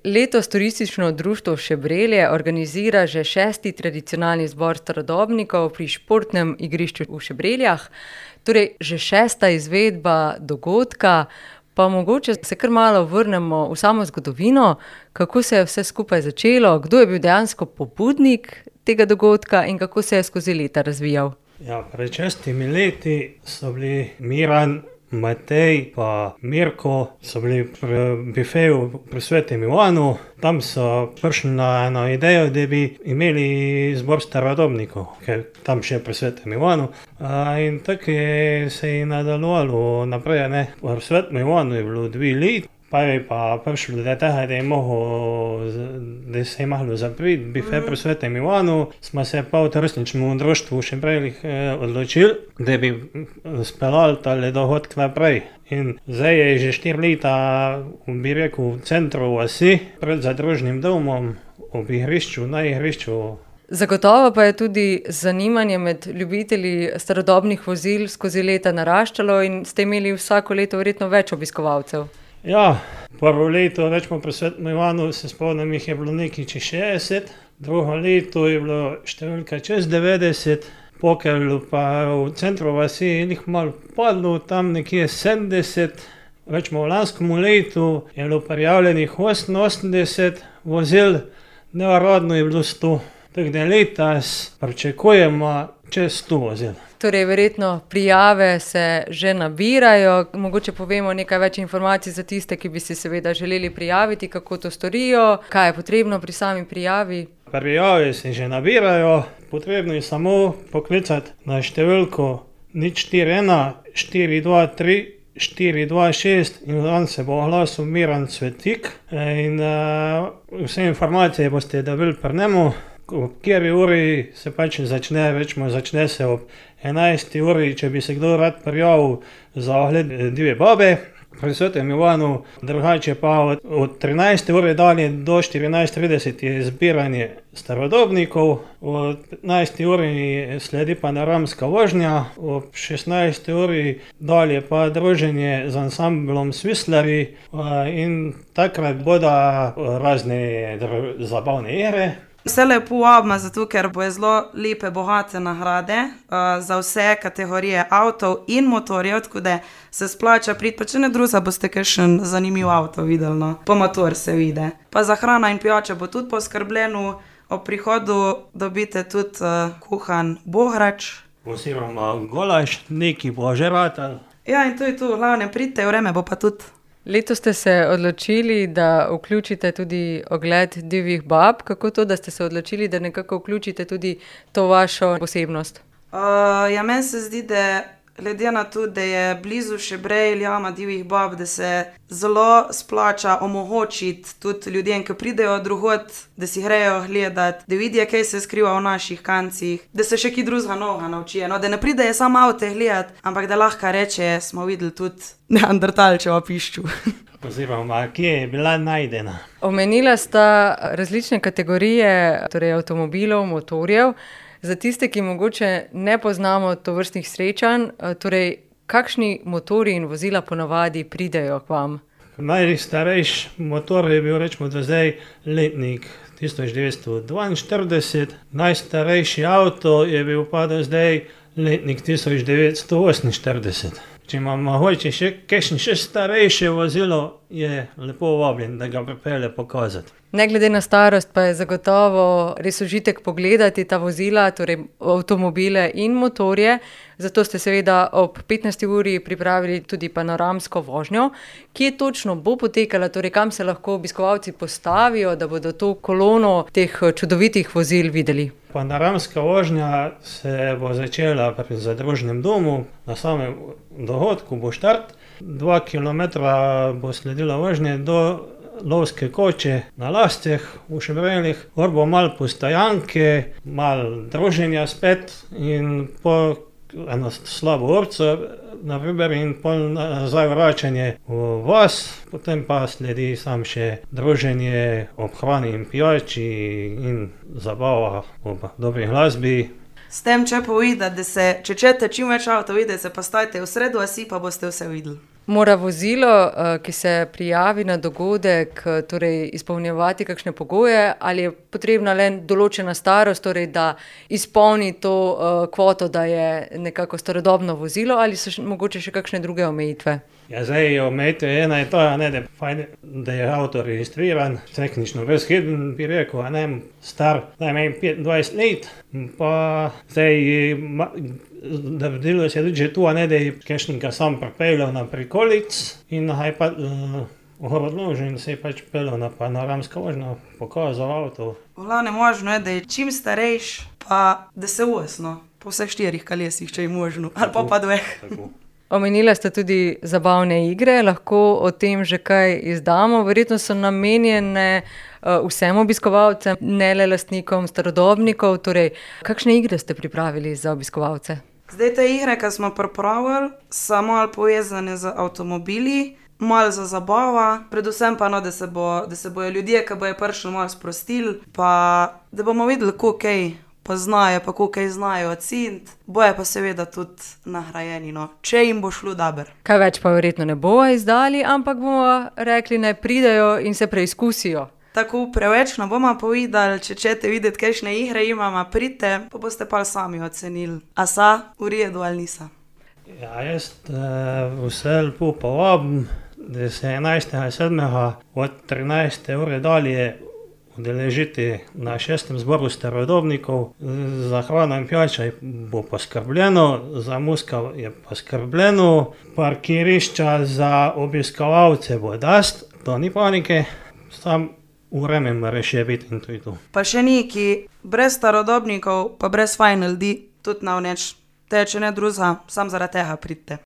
Letos Turistično društvo Šebrelje organizira že 6. tradicionalni zbor starodobnikov pri športnem igrišču v Šebreljah. Torej, že 6. izvedba dogodka, pa mogoče se kar malo vrnemo v samo zgodovino, kako se je vse skupaj začelo, kdo je bil dejansko pobudnik tega dogodka in kako se je skozi leta razvijal. Ja, pred 6 leti so bili Miran, Matej pa Mirko, so bili pri bifeju pri Svetem Ivanu. Tam so prišli na eno idejo, da bi imeli zbor starodobnikov, ker tam še pri Svetem Ivanu. In tako se je nadaljevalo naprej, ne. Pri Svetem Ivanu je bilo 2 leta. Pa je pa prišlo do tega, da se je moglo zapreti bife pri Svetem Ivanu. Smo se pa v Turističnem društvu v Šebreljih odločili, da bi speljali tale dogodek naprej. In zdaj je že 4 leta, bi rekel, v centru vasi, pred zadružnim domom, ob igrišču, na igrišču. Zagotovo pa je tudi zanimanje med ljubitelji starodobnih vozil skozi leta naraščalo in ste imeli vsako leto verjetno več obiskovalcev. Ja, prvo leto, recimo pri Svetem Ivanu, se spomnim, jih je bilo nekaj čez 60, drugo leto je bilo številka čez 90, Pokelju pa v centru vasi je jih malo padlo, tam nekje 70, recimo v lanskem letu je bilo prijavljenih 88 vozil, neuradno je bilo 100, tako da letos pričakujemo čez 100 vozil. Torej, verjetno prijave se že nabirajo, mogoče povemo nekaj več informacij za tiste, ki bi si seveda želeli prijaviti, kako to storijo, kaj je potrebno pri sami prijavi. Prijave se že nabirajo, potrebno je samo poklicati na številko 041 423 426 in on se bo oglasil Miran Cvetik in vse informacije boste dobili pri njemu. Ob kateri uri se pač začne, recimo začne se ob 11. uri, če bi se kdo rad prijavil za ogled divje babe pri Svetem Ivanu, drugače pa od 13. ure dalje do 14:30 je zbiranje starodobnikov, od 15. uri sledi panoramska vožnja, ob 16. uri dalje pa druženje z ansamblom Svislarji in takrat bodo razne zabavne igre. Vse lepo vabimo, zato ker bojo zelo lepe, bogate nagrade za vse kategorije avtov in motorjev, tako da se splača priti, pa če ne drugega boste kakšen zanimiv avto videli, no. Pa motor se vidi. Pa za hrana in pijača bo tudi poskrbljeno, ob prihodu dobite tudi kuhan bohrač. Oziroma golaž, nekaj bo že ratalo. Ja, in to je to, glavne pridite, vreme bo pa tudi. Letos ste se odločili, da vključite tudi ogled divjih bab. Kako to, da ste se odločili, da nekako vključite tudi to vašo posebnost? Ja, meni se zdi, da glede na to, da je blizu Šebrej, jama divjih bab, da se zelo splača omogočiti tudi ljudem, ki pridejo drugod, da si grejo gledati, da vidijo, kaj se skriva v naših kancih, da se še kaj drugega novega naučijo, no, da ne pridejo samo avte gledati, ampak da lahko reče, smo videli tudi neandertalčevo pišču. Oziroma, kje je bila najdena. Omenila sta različne kategorije, torej avtomobilov, motorjev. Za tiste, ki mogoče ne poznamo tovrstnih srečanj, torej kakšni motorji in vozila ponavadi pridejo k vam? Najstarejši motor je bil, recimo, do zdaj letnik 1942, najstarejši avto je bil pa do zdaj letnik 1948. Če imamo mogoče še kakšno še starejše vozilo, je lepo vabljen, da ga pripelje pokazati. Ne glede na starost pa je zagotovo res užitek pogledati ta vozila, torej avtomobile in motorje. Zato ste seveda ob 15. uri pripravili tudi panoramsko vožnjo. Kje točno bo potekala, torej kam se lahko obiskovalci postavijo, da bodo to kolono teh čudovitih vozil videli? Panoramska vožnja se bo začela pri zadružnem domu, na samem dogodku bo štart. 2 kilometra bo sledila vožnja do lovske koče na Lasceh v Šebreljih, gor bo malo postojanke, malo druženja spet in po eno slabo orco, na primer, in pol nazaj vračanje v vas, potem pa sledi sam še druženje ob hrani in pijači in zabava ob dobri glasbi. S tem, če povedati, da se, če čete čim več avto videti, se pa stajte v sredo vasi, pa boste vse videli. Mora vozilo, ki se prijavi na dogodek, torej izpolnjevati kakšne pogoje, ali je potrebna le določena starost, torej da izpolni to kvoto, da je nekako starodobno vozilo, ali so mogoče še kakšne druge omejitve? Ja, zdaj omejitev ena je to, da je avto registriran, tehnično brezhiben, bi rekel, star najmanj 25 let, pa zdaj da deluje se tudi že tu, da je kakšnega sam pripeljal na prikolic in je pa odložil in se je pač peljal na panoramsko vožnjo, pokazal avto. V glavnem možno je, da je čim starejš, pa da se vosno, po vseh 4 kolesih, če je možno, ali pa 2. Omenila ste tudi zabavne igre, lahko o tem že kaj izdamo. Verjetno so namenjene vsem obiskovalcem, ne le lastnikom starodobnikov. Torej, kakšne igre ste pripravili za obiskovalce? Zdaj te igre, ki smo pripravili, so malo povezane z avtomobili, malo za zabava, predvsem pa da se bojo ljudje, ki bojo prišli, malo sprostili, pa da bomo videli, kako kaj poznajo, pa kako kaj znajo oceniti, bojo pa seveda tudi nagrajeni, če jim bo šlo dobro. Kaj več pa verjetno ne bomo izdali, ampak bomo rekli, naj pridejo in se preizkusijo. Tako preveč ne bomo povedali, če ćete videti, kakšne igre imamo, pridite, pa boste pa sami ocenili, a sa v redu ali nisa. Ja, jaz vse lepo povabim, da se 11.7. od 13. ure dalje udeležiti na 6. zboru starodobnikov. Za hrano in pijačo bo poskrbljeno, za muziko je poskrbljeno, parkirišča za obiskovalce bo dosti, to ni panike, sam vreme mora še biti in to je to. Pa še neki, brez starodobnikov, pa brez fajn ljudi, tudi na vneč, če ne druga, sam zaradi tega pridite.